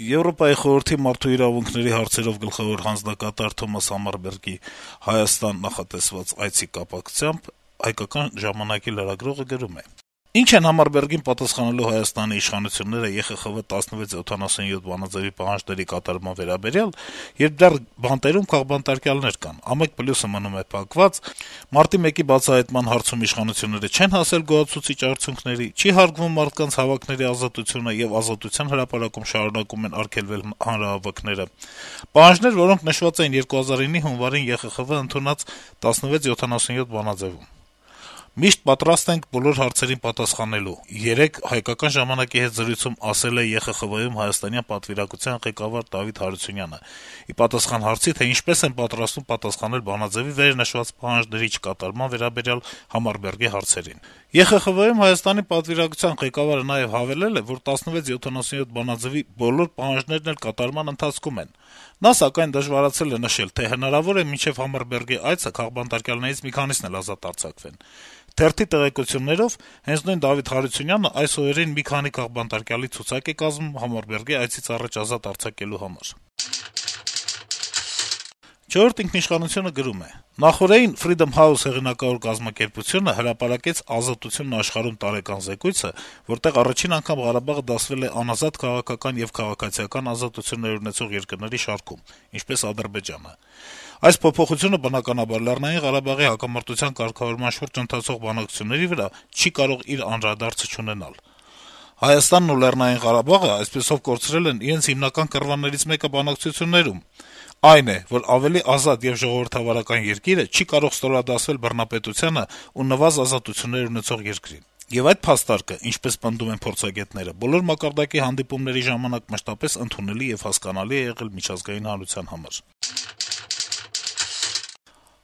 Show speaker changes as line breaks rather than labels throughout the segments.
Եվրոպայի խորհրդի մարդու իրավունքների հարցերով գլխավոր հանձնակատար Թոմաս Համարբերգի Հայաստան նախատեսված այցի կապակցությամբ «Հայկական ժամանակ»-ի լրագրողը գրում է. - «Ինչ են Համարբերգին պատասխանելու Հայաստանի իշխանությունները ԵԽԽՎ 1677 բանաձեւի պահանջների կատարման վերաբերյալ, երբ դեռ բանտերում քաղբանտարկյալներ կան, ամեկ պլյուսը մնում է փակված, մարտի 1-ի բացահայտման հարցում իշխանությունները չեն հասել գոհացուցիչ արդյունքների, չի հարգվում մարդկանց հավաքների ազատությունը եւ Ազատության հրապարակում շարունակում են արգելվել հանրահավաքները, պահանջներ, որոնք նշված էին 2009-ի հունվարին ԵԽԽՎ ընդունած 1677 բանաձեւում։ Միշտ պատրաստ ենք բոլոր հարցերին պատասխանելու, երեկ «Հայկական ժամանակ»-ի հետ զրույցում ասել է ԵԽԽՎ-ում հայաստանյան պատվիրակության ղեկավար Դավիթ Հարությունյանը, ի պատասխան հարցի, թե ինչպես են պատրաստվում պատասխանել բանաձեւի վերնշված պահանջների չկատարման վերաբերյալ Համարբերգի հարցերին։ ԵԽԽՎ-ում Հայաստանի պատվիրակության ղեկավարը նաեւ հավելել է, որ 1677 բանաձեւի բոլոր պահանջներն էլ կատարման ընթացքում են։ Նա, սակայն, դժվարացել է նշել, թե հնարավոր է մինչեւ Համարբերգի այցը քաղբանտարկյալներից մի քանիսն էլ ազատ արձակվեն։ Թերթի տեղեկություններով, հենց նույն Դավիթ Հարությունյանը այս օրերին մի քանի քաղբանտարկյալի ցուցակ է կազմում Համարբերգի այցից առաջ ազատ արձակելու համար։ «Չորրորդ ինքնիշխանություն»-ը գրում է. - «Նախօրեին Freedom House հեղինակավոր կազմակերպությունը հրապարակեց «Ազատությունն աշխարհում» տարեկան զեկույցը, որտեղ առաջին անգամ Ղարաբաղը դասվել է անազատ քաղաքական եւ քաղաքացիական ազատություններ ունեցող երկրների շարքում, ինչպես Ադրբեջանը։ Այս փոփոխությունը, բնականաբար, Լեռնային Ղարաբաղի հակամարտության կարգավորման շուրջ ընթացող բանակցությունների վրա չի կարող իր անդրադարձը չունենալ։ Հայաստանն ու Լեռնային Ղարաբաղը այսպիսով կորցրել են իրենց հիմնական կռվաներից մեկը բանակցություններում։ Այն է, որ ավելի ազատ եւ ժողովրդավարական երկիրը չի կարող ստորադասվել բռնապետությանը ու նվազ ազատություններ ունեցող երկրին։ Եվ այդ փաստարկը, ինչպես պնդում են փորձագետները, բոլոր մակարդակի հանդիպումների ժամանակ մշտապես ընդունելի եւ հասկանալի է եղել միջազգային հանրության համար»։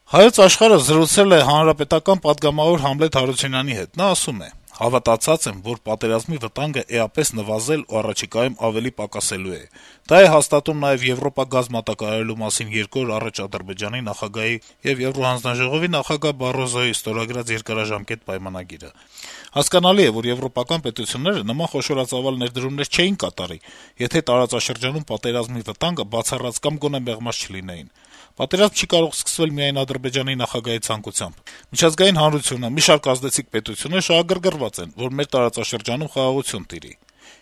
«Հայոց Աշխարհ»-ը զրուցել է հանրապետական պատգամավոր Համլետ Հարությունյանի հետ։ Նա ասում է. - «Հավատացած եմ, որ պատերազմի վտանգը էապես նվազել ու առաջիկայում ավելի պակասելու է։ Դա է հաստատում նաեւ Եվրոպա գազ մատակարարելու մասին 2 օր առաջ Ադրբեջանի նախագահի եւ Եվրոհանձնաժողովի նախագահ Բարոզոյի ստորագրած երկարաժամկետ պայմանագիրը։ Հասկանալի է, որ եվրոպական պետությունները նման խոշորածավալ ներդրումներ չէին կատարի, եթե տարածաշրջանում պատերազմի վտանգը բացառած կամ գոնե մեղմած չլինեին։ Պատերազմ չի կարող սկսվել միայն Ադրբեջանի նախագահի ցանկությամբ։ Միջազգային հանրությունը, մի շարք ազդեցիկ պետություններ շահագրգռված են, որ մեր տարածաշրջանում խաղաղություն տիրի։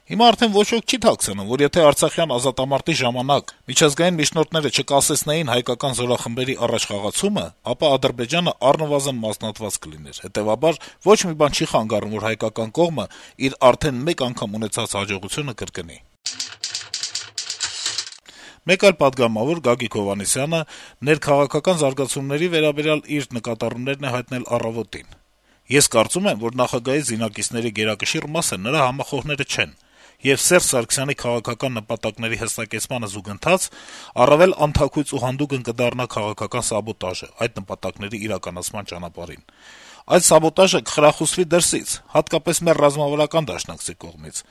Հիմա արդեն ոչ ոք չի թաքցնում, որ եթե արցախյան ազատամարտի ժամանակ միջազգային միջնորդները չկասեցնեին հայկական զորախմբերի առաջխաղացումը, ապա Ադրբեջանը առնվազն մասնատված կլիներ։ Հետեւաբար ոչ մի բան չի խանգարում, որ հայկական կողմը իր արդեն մեկ անգամ ունեցած հաջողությունը կրկնի»։ Մեկ այլ պատգամավոր Գագիկ Հովհաննիսյանը ներքաղաքական զարգացումների վերաբերյալ իր նկատառումներն է հայտնել «Առավոտ»-ին. - «Ես կարծում եմ, որ նախագահի զինակիցների գերակշիռ մասը նրա համախոհները չեն, եւ Սերժ Սարգսյանի քաղաքական նպատակների հստակեցմանը զուգընթաց առավել անթաքույց ու հանդուգն կդառնա քաղաքական սաբոտաժը այդ նպատակների իրականացման ճանապարհին։ Այդ սաբոտաժը կխրախուսվի դրսից, հատկապես մեր ռազմավարական դաշնակցի կողմից։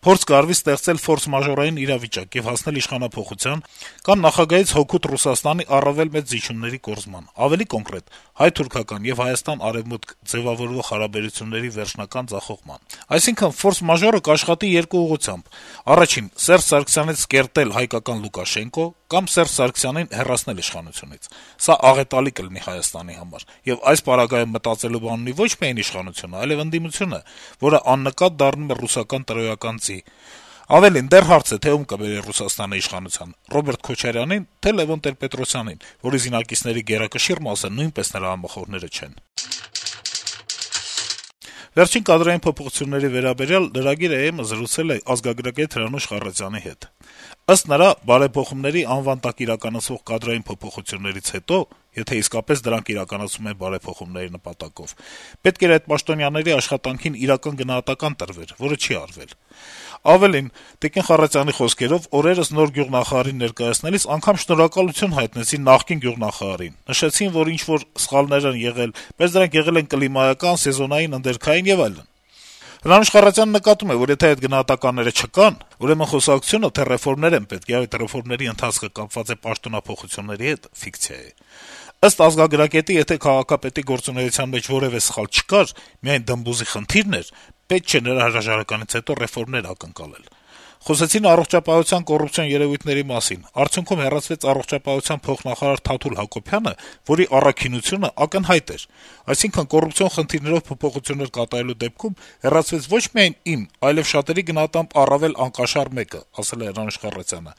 Փորձ կարվի ստեղծել ֆորս-մաժորային իրավիճակ եւ հասնել իշխանափոխության կամ նախագահից հօգուտ Ռուսաստանի առավել մեծ զիջումների կորզման, ավելի կոնկրետ՝ հայ-թուրքական եւ Հայաստան-արեւմուտք ձեւավորվող հարաբերությունների վերջնական ձախողման։ Այսինքն, ֆորս-մաժորը կաշխատի երկու ուղղությամբ. առաջին՝ Սերժ Սարգսյանից կերտել հայկական Լուկաշենկո կամ Սերժ Սարգսյանին հեռացնել իշխանությունից։ Սա աղետալի կլինի Հայաստանի համար, եւ այս պարագայում մտածելու բան ունի ոչ միայն իշխանությունը, այլեւ ընդդիմությունը, որը աննկատ դառնում է ռուսական տրոյական ձի։ Ավելին, դեռ հարց է, թե ում կբերի Ռուսաստանը իշխանության՝ Ռոբերտ Քոչարյանին, թե Լեւոն Տեր-Պետրոսյանին, որի զինակիցների գերակշիռ մասը նույնպես նրա համախոհները չեն»։ Վերջին կադրային փոփոխությունների վերաբերյալ Lragir.am-ը զրուցել է ազգագրագետ Հրանուշ Խառատյանի հետ։ Ըստ նրա, բարեփոխումների անվան տակ իրականացվող կադրային փոփոխություններից հետո, եթե իսկապես դրանք իրականացվում են բարեփոխումների նպատակով, պետք էր այդ պաշտոնյաների աշխատանքին իրական գնահատական տրվեր, որը չի արվել։ Ավելին, Տիկին Խառատյանի խոսքերով, օրերս նոր գյուղնախարարին ներկայացնելիս անգամ շնորհակալություն հայտնեցին նախկին գյուղնախարարին, նշեցին, որ ինչ-որ սխալներ են եղել, բայց դրանք եղել են կլիմայական, սեզոնային, ընդերքային եւ այլն։ Հրանուշ Խառատյանը նկատում է, որ եթե այդ գնահատականները չկան, ուրեմն խոսակցությունը, թե ռեֆորմներ են պետք, եւ այդ ռեֆորմների ընթացքը կապված է պաշտոնափոխությունների հետ, ֆիկցիա է։ Ըստ ազգագրագետի, եթե քաղաքապետի գործունեության մեջ որեւէ սխալ չկար, միայն դմբուզի խնդիրն էր, պետք չէ նրա հրաժարականից հետո ռեֆորմներ ակնկալել։ Խոսեցին առողջապահության կոռուպցիոն երեւույթների մասին: Արդյունքում հեռացվեց առողջապահության փոխնախարար Թաթուլ Հակոբյանը, որի առաքինությունը ակնհայտ էր: Այսինքն` կոռուպցիոն խնդիրներով փոփոխություններ կատարելու դեպքում հեռացվեց ոչ միայն իմ, այլեւ շատերի գնահատմամբ առավել անկաշառ մեկը, ասել է Հրանուշ Խառատյանը: